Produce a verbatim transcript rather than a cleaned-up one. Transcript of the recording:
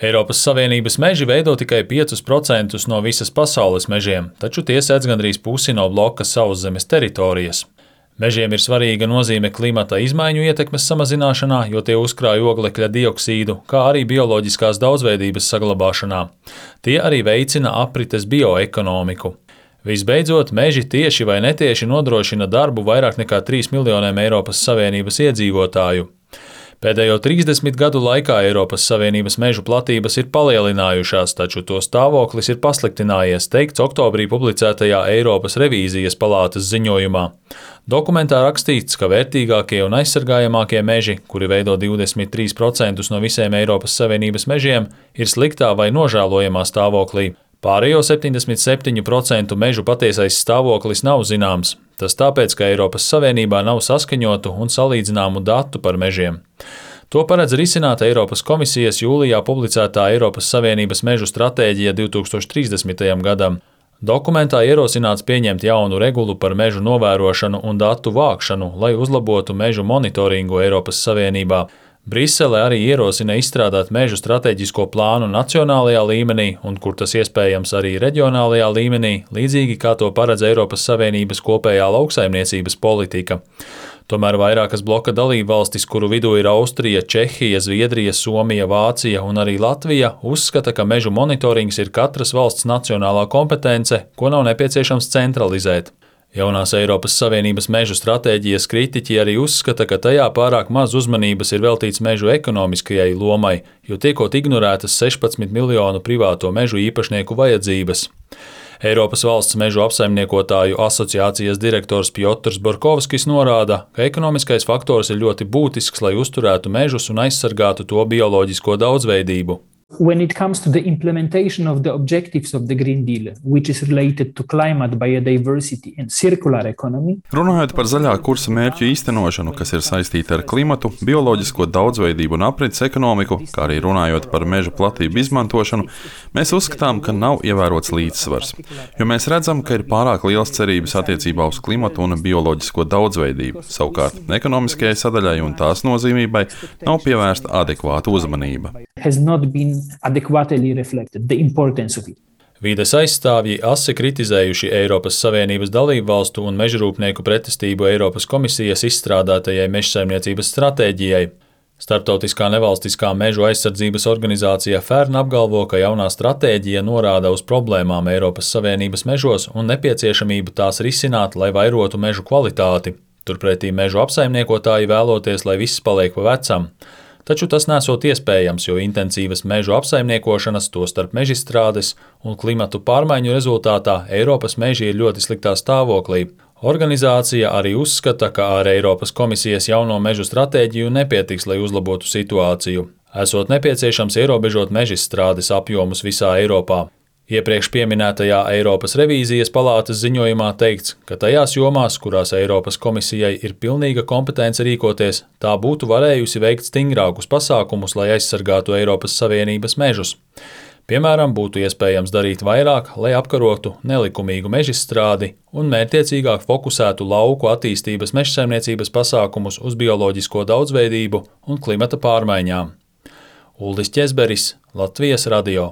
Eiropas Savienības meži veido tikai piecus procentus no visas pasaules mežiem, taču tie sedz gandrīz pusi no bloka sauszemes teritorijas. Mežiem ir svarīga nozīme klimata izmaiņu ietekmes samazināšanā, jo tie uzkrāj oglekļa dioksīdu, kā arī bioloģiskās daudzveidības saglabāšanā. Tie arī veicina aprites bioekonomiku. Visbeidzot, meži tieši vai netieši nodrošina darbu vairāk nekā trīs miljoniem Eiropas Savienības iedzīvotāju. Pēdējo trīsdesmit gadu laikā Eiropas Savienības mežu platības ir palielinājušās, taču to stāvoklis ir pasliktinājies, teikts oktobrī publicētajā Eiropas revīzijas palātas ziņojumā. Dokumentā rakstīts, ka vērtīgākie un aizsargājamākie meži, kuri veido divdesmit trīs procentus no visiem Eiropas Savienības mežiem, ir sliktā vai nožēlojamā stāvoklī. Pārējo septiņdesmit septiņu procentu mežu patiesais stāvoklis nav zināms. Tas tāpēc, ka Eiropas Savienībā nav saskaņotu un salīdzināmu datu par mežiem. To paredz risināt Eiropas komisijas jūlijā publicētā Eiropas Savienības mežu stratēģija divi tūkstoši trīsdesmitajam gadam. Dokumentā ierosināts pieņemt jaunu regulu par mežu novērošanu un datu vākšanu, lai uzlabotu mežu monitoringu Eiropas Savienībā. Brisele arī ierosina izstrādāt mežu stratēģisko plānu nacionālajā līmenī un, kur tas iespējams, arī reģionālajā līmenī, līdzīgi kā to paredz Eiropas Savienības kopējā lauksaimniecības politika. Tomēr vairākas bloka dalībvalstis, kuru vidū ir Austrija, Čehija, Zviedrija, Somija, Vācija un arī Latvija, uzskata, ka mežu monitorings ir katras valsts nacionālā kompetence, ko nav nepieciešams centralizēt. Jaunās Eiropas Savienības mežu stratēģijas kritiķi arī uzskata, ka tajā pārāk maz uzmanības ir veltīts mežu ekonomiskajai lomai, jo tiekot ignorētas sešpadsmit miljonu privāto mežu īpašnieku vajadzības. Eiropas valsts mežu apsaimniekotāju asociācijas direktors Pjotrs Borkovskis norāda, ka ekonomiskais faktors ir ļoti būtisks, lai uzturētu mežus un aizsargātu to bioloģisko daudzveidību. When it comes to the implementation of the objectives of the Green Deal, which is related to climate, biodiversity and circular economy. Runājot par zaļā kursa mērķu īstenošanu, kas ir saistīta ar klimatu, bioloģisko daudzveidību un aprits ekonomiku, kā arī runājot par meža platību izmantošanu, mēs uzskatām, ka nav ievērots līdzsvars, jo mēs redzam, ka ir pārāk liels cerības attiecībā uz klimatu un bioloģisko daudzveidību. Savukārt, ekonomiskajai sadaļai un tās nozīmībai nav pievērsta adekvāta uzmanība. Has not been adequately reflected the importance of it. Vīdes aizstāvji asi kritizējuši Eiropas Savienības dalību valstu un mežrūpnieku pretestību Eiropas komisijas izstrādātajai mežsaimniecības stratēģijai. Starptautiskā nevalstiskā mežu aizsardzības organizācija Fern apgalvo, ka jaunā stratēģija norāda uz problēmām Eiropas Savienības mežos un nepieciešamību tās risināt, lai vairotu mežu kvalitāti. Turpretī mežu apsaimniekotāji vēloties, lai viss paliek pa vecam. Taču tas nesot iespējams, jo intensīvas mežu apsaimniekošanas, tostarp mežizstrādes un klimatu pārmaiņu rezultātā Eiropas meži ir ļoti sliktā stāvoklī. Organizācija arī uzskata, ka ar Eiropas komisijas jauno mežu stratēģiju nepietiks, lai uzlabotu situāciju. Esot nepieciešams ierobežot mežizstrādes apjomus visā Eiropā. Iepriekš pieminētajā Eiropas revīzijas palātas ziņojumā teikts, ka tajās jomās, kurās Eiropas komisijai ir pilnīga kompetence rīkoties, tā būtu varējusi veikt stingrākus pasākumus, lai aizsargātu Eiropas Savienības mežus. Piemēram, būtu iespējams darīt vairāk, lai apkarotu nelikumīgu mežizstrādi un mērķtiecīgāk fokusētu lauku attīstības mežsaimniecības pasākumus uz bioloģisko daudzveidību un klimata pārmaiņām. Uldis Ķezberis, Latvijas radio.